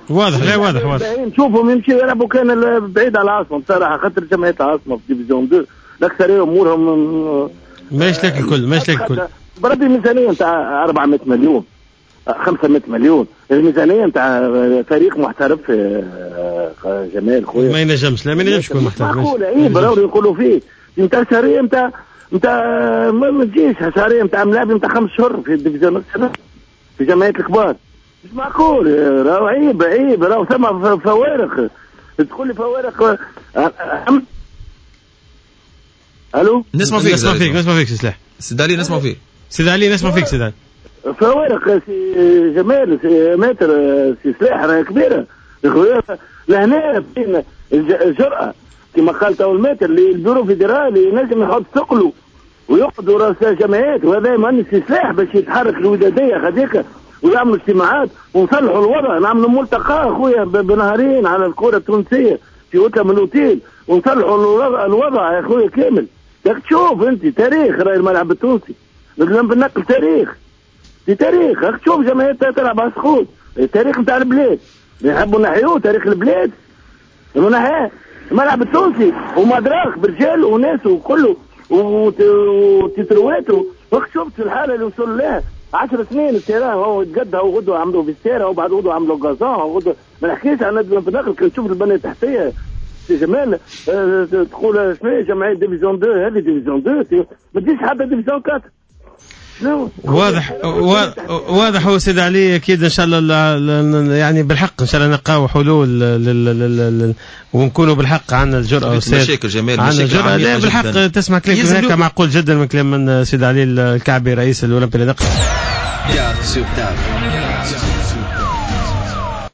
واضح، لا واضح واضح. نشوفهم يمشيو يلعبوا كان بعيد على العاصمة بصراحة، خاطر جمعية العاصمة في division اثنين الاكثرية امورهم ماهيش لك الكل، ماهيش لك الكل. بربي ميزانية نتاع أربعمية مليون خمسمية مليون، الميزانية نتاع فريق محترف جمال خويا ما ينجمش، لا ما ينجمش يكون محترف. معقولة اي براوري يقولوا فيه نتاع شهرية نتاع نتاع ما تجيش شهرية نتاع ملاعب نتاع خمس شهور في ال division في جمعيات الكبار، مش معقول. راهو عيب عيب، راهو ثم فوارق، تقول لي فوارق. الو نسمع فيك، نسمع فيك، نسمع فيك سي سلاح. سيد علي نسمع فيك، سيد علي نسمع فيك سيد علي. فوارق سي جمال سي maître سي سلاح راهي كبيرة لهنا، بين الجرأة كما قال تو ال maître اللي ال bureau fédéral ينجم يحط ثقله ويقعدوا رؤساء جمعيات، وهذا مهندس سي سلاح باش يتحرك الوداديه هذيك ويعملوا اجتماعات ونصلحوا الوضع، نعملوا ملتقى خويا بنهارين على الكره التونسية في اوتيل من الاوتيل ونصلحوا الوضع يا خويا كامل. تشوف انت تاريخ راهي الملعب التونسي، لازم بالنقل تاريخ في تاريخ، راك تشوف جمعيات تلعب على السقوط، التاريخ نتاع البلاد، يحبوا نحيوه تاريخ البلاد، نحيوه الملعب التونسي ومدراك برجال وناس وكله وتترواته، راك شفت الحالة اللي وصل لها عشر سنين ال terrain هو يتقدها وغدوه عملوا vestiaire وبعد غدوه عملوا gazon وغدوه، ما نحكيش على نادي النقل، كي تشوف البنية التحتية سي جمال تقول شنو جمعية division اثنين، هذه division اثنين ما تجيش حتى division أربعة. واضح واضح هو سيد علي، اكيد ان شاء الله يعني بالحق ان شاء الله نلقاو حلول لل ونكونوا بالحق عندنا الجرأة. مشاكل جمال، عندنا الجرأة لا بالحق. تسمع كلام هكا معقول جدا من كلام من سيد علي الكعبي رئيس الاولمبي للنقل.